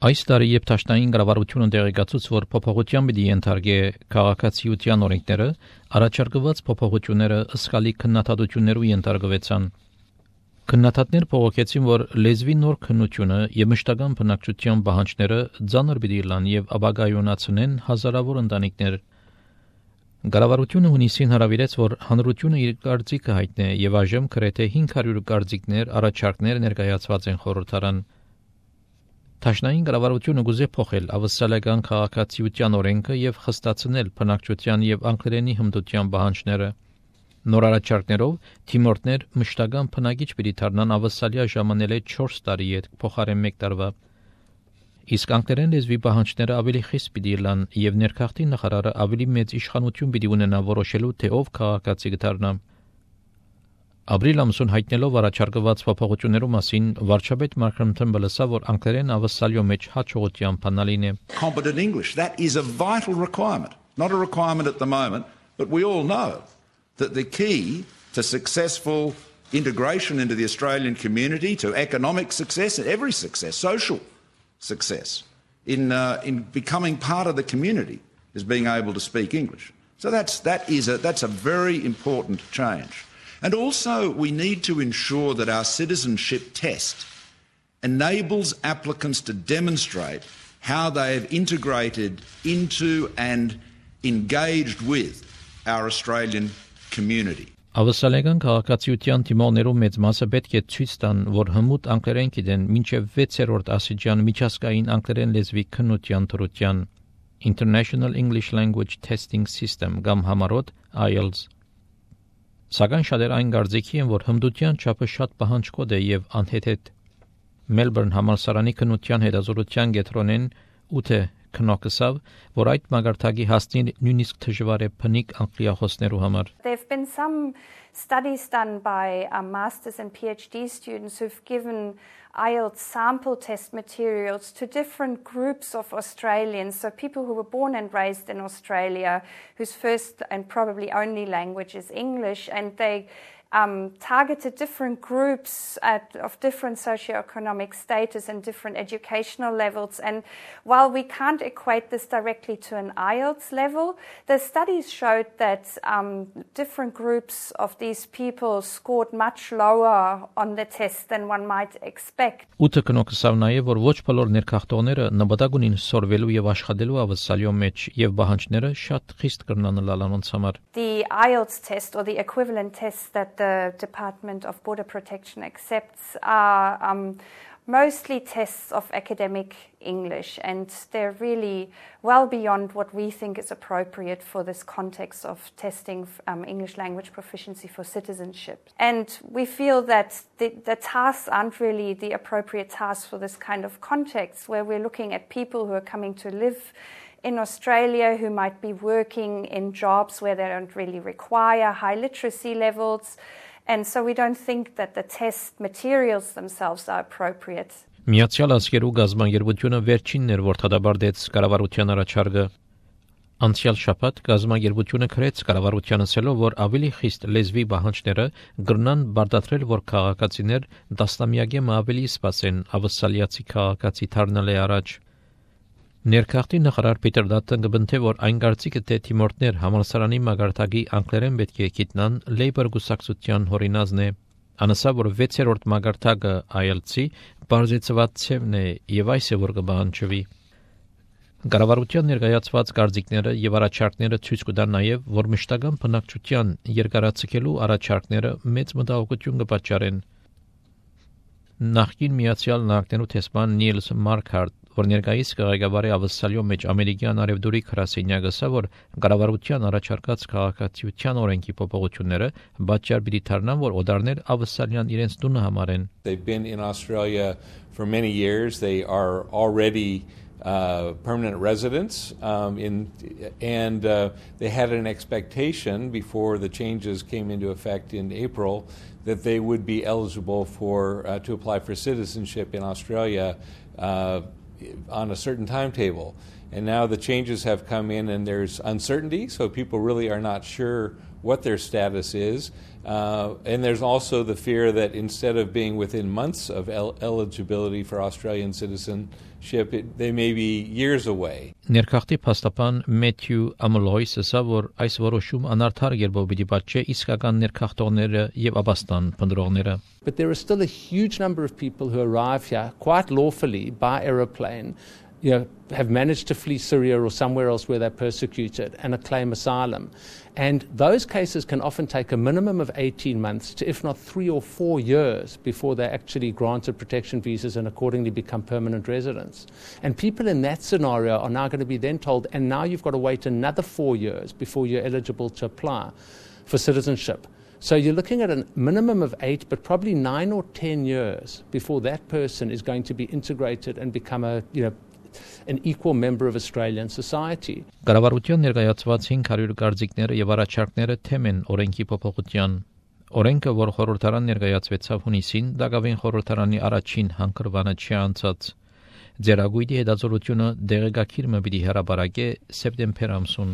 Այս տարի երբ Թաշնային կառավարությունը տեղեկացուց, որ փոփոխության պիտի ենթարկե քաղաքացիության օրենքները, առաջարկված փոփոխությունները ըսկալի քննադատություններու ենթարկվեցան։ Քննադատներ փողոքեցին, որ լեզվի նոր քննությունը եւ մշտական բնակչության պահանջները ծանր պիտի լան եւ ապագայունացնեն հազարավոր ընտանիքներ։ Կառավարությունը հունիսին հրավիրեց, որ հանրությունը իր կարծիքը հայտնի եւ այժմ գրեթե 500 կարծիքներ, առաջարկներ ներկայացված են խորհրդարան։ Թաշնային կառավարությունը գուզե փոխել ավստրալիական քաղաքացիության օրենքը եւ խստացնել բնակչության եւ անգլերենի հմտության պահանջները։ Նոր առաջարկներով թիմորդներ մշտական բնակիչ պիտի դառնան ավստրալիա ժամանել է 4 տարի հետ փոխարեն 1 տարվա։ Իսկ անգլերեն լեզվի պահանջները ավելի խիստ պիտի լան եւ ներքաղթի նախարարը ավելի մեծ իշխանություն պիտի ունենա որոշելու թե ով քաղաքացի կդառնա։ Ապրիլ ամսուն հայտնելով առաջարկված փոփոխություններու մասին վարչապետ Մարկրեմ Թեմբլը ասավ, որ անգլերեն ավստրալիո մեջ հաջողության բանալին է։ Competent English, that is a vital requirement. Not a requirement at the moment, but we all know that the key to successful integration into the Australian community, to economic success and every success, social success, in becoming part of the community is being able to speak English. So that's a very important change. And also we need to ensure that our citizenship test enables applicants to demonstrate how they have integrated into and engaged with our Australian community. Ավստրալիական քաղաքացիության թիմողներու մեծ մասը պետք է ցույց տան, որ հմուտ անգլերեն գիտեն մինչև 6-րդ աստիճան միջազգային անգլերեն լեզվի քննության թրության International English Language Testing System կամ համառոտ IELTS։ Սակայն շատեր այն կարծիքի են, որ հմտության չափը շատ պահանջկոտ է եւ անհեթեթ։ Մելբուրն համալսարանի քննության հետազոտության կենտրոնեն 8 քննարկսավ, որ այդ մագարտակի հասնին նույնիսկ դժվար է բնիկ անգլիախոսներու համար։ There've been some studies done by masters and PhD students who've given IELTS sample test materials to different groups of Australians, so people who were born and raised in Australia, whose first and probably only language is English, and they targeted different groups of different socioeconomic status and different educational levels. And while we can't equate this directly to an IELTS level, the studies showed that different groups of these people scored much lower on the test than one might expect. Ուտը կնոկսավ նաև, որ ոչ բոլոր ներքաղթողները նպատակ ունին սորվելու եւ աշխատելու ավստրալիո մեջ եւ պահանջները շատ խիստ կրնան լալանոնց համար։ The IELTS test or the equivalent test that the Department of Border Protection accepts are mostly tests of academic English, and they're really well beyond what we think is appropriate for this context of testing English language proficiency for citizenship. And we feel that the tasks aren't really the appropriate tasks for this kind of context, where we're looking at people who are coming to live in Australia, who might be working in jobs where they don't really require high literacy levels. And so we don't think that the test materials themselves are appropriate. Միացյալ Աշխարհու գազագերբությունը վերջինն էր, որ դադարեցրեց կառավարության առաջարկը։ Անցյալ շաբաթ գազագերբությունը քրեց կառավարությանը ասելով, որ ավելի խիստ լեզվի պահանջները կգրնան բարդացրել, որ քաղաքացիներ տասնամյակի ավելի սպասեն ավստրալիացի քաղաքացի դառնալը առաջ։ Ներքաղթի նախարար Պիտեր Դատտն կբնթե, որ այն կարծիքը թե թիմորդներ համալսարանի մագարտակի անգլերեն պետք է գիտնան Լեյբոր գուսակցության հորինազն է։ Անասա, որ 6-րդ մագարտակը IELTS-ի բարձրացված ցևն է եւ այս է որ կբանջվի։ Կառավարության ներկայացված կարծիքները եւ առաջարկները ցույց կտան նաեւ, որ մշտական բնակչության երկարացկելու առաջարկները մեծ մտահոգություն կպատճառեն։ Նախկին Միացյալ Նահանգներու տեսփան Նիլս Մարքարտ, որ ներկայիս կղեկավարի ավստրալիո մեջ ամերիկյան արևդուրի քրասենյակը ասա, որ կառավարության առաջարկած քաղաքացիության օրենքի փոփոխությունները պատճառ պիտի դառնան, որ օդարներ ավստրալիան irենց տունը համարեն։ They've been in Australia for many years. They are already permanent residents, and they had an expectation before the changes came into effect in April that they would be eligible to apply for citizenship in Australia on a certain timetable. And now the changes have come in and there's uncertainty, so people really are not sure what their status is. And there's also the fear that instead of being within months of eligibility for Australian citizenship, they may be years away. Ներքախտի փաստաբան Մեթյու Ամլոյսը ասա, որ այս որոշում անարդար երբով պիտի պատճե իսկական ներքախտողները եւ աբաստան փնտրողները. But there is still a huge number of people who arrive here quite lawfully by aeroplane, have managed to flee Syria or somewhere else where they're persecuted and claim asylum. And those cases can often take a minimum of 18 months to, if not 3 or 4 years, before they're actually granted protection visas and accordingly become permanent residents. And people in that scenario are now going to be then told, and now you've got to wait another 4 years before you're eligible to apply for citizenship. So you're looking at a minimum of 8, but probably 9 or 10 years before that person is going to be integrated and become an equal member of Australian society. Կառավարության ներկայացված 500 գործիքները եւ առաջարկները թեմ են օրենքի փոփոխության. Օրենքը, որ խորհրդարան ներկայացվեցավ հունիսին, Դագավին խորհրդարանի առաջին հանգրվանը չանցած. Ձերագույդի հետազոտությունը դեղեկագիրը պիտի հրապարակե սեպտեմբեր ամսուն.